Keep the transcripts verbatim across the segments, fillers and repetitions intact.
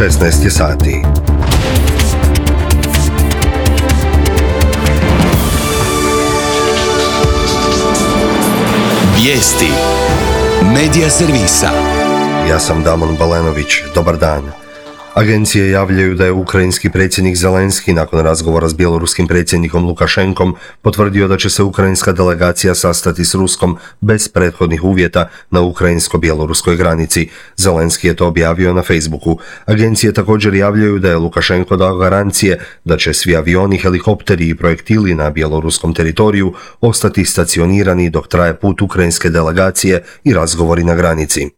šesnaest je sati. Vijesti Medija servisa. Ja sam Damon Balenović. Dobar dan. Agencije javljaju da je ukrajinski predsjednik Zelenski nakon razgovora s bjeloruskim predsjednikom Lukašenkom potvrdio da će se ukrajinska delegacija sastati s Ruskom bez prethodnih uvjeta na ukrajinsko-bjeloruskoj granici. Zelenski je to objavio na Facebooku. Agencije također javljaju da je Lukašenko dao garancije da će svi avioni, helikopteri i projektili na bjeloruskom teritoriju ostati stacionirani dok traje put ukrajinske delegacije i razgovori na granici.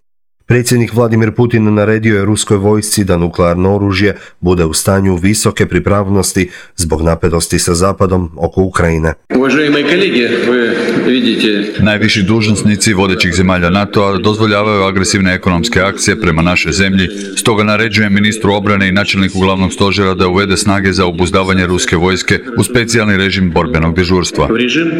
Predsjednik Vladimir Putin naredio je ruskoj vojsci da nuklearno oružje bude u stanju visoke pripravnosti zbog napetosti sa Zapadom oko Ukrajine. Uvaženi kolege, vi vidite... Najviši dužnosnici vodećih zemalja NATO-a dozvoljavaju agresivne ekonomske akcije prema našoj zemlji, stoga naređujem ministru obrane i načelniku glavnog stožera da uvede snage za obuzdavanje ruske vojske u specijalni režim borbenog dežurstva. Režim,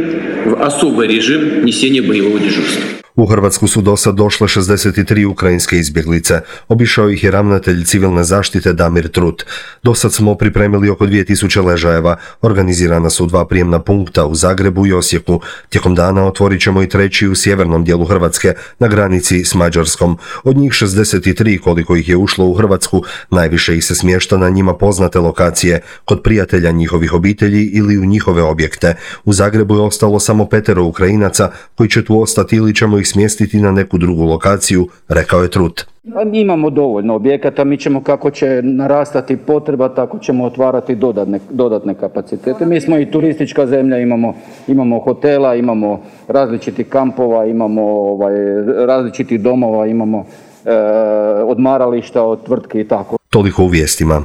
v особый režim nesenja bojevog dežurstva. U Hrvatsku su dosad došle šezdeset tri ukrajinske izbjeglice. Obišao ih je ravnatelj civilne zaštite Damir Trut. Dosad smo pripremili oko dvije tisuće ležajeva. Organizirana su dva prijemna punkta u Zagrebu i Osijeku. Tijekom dana otvorit ćemo i treći u sjevernom dijelu Hrvatske, na granici s Mađarskom. Od njih šezdeset tri, koliko ih je ušlo u Hrvatsku, najviše ih se smješta na njima poznate lokacije, kod prijatelja njihovih obitelji ili u njihove objekte. U Zagrebu je ostalo samo petero Ukrajinaca koji će tu ostati ili ćemo ih smjestiti na neku drugu lokaciju, rekao je Trut. Imamo dovoljno objekata, mi ćemo kako će narastati potreba, tako ćemo otvarati dodatne, dodatne kapacitete. Mi smo i turistička zemlja, imamo, imamo hotela, imamo različitih kampova, imamo ovaj, različitih domova, imamo e, odmarališta od tvrtki i tako. Toliko u vijestima.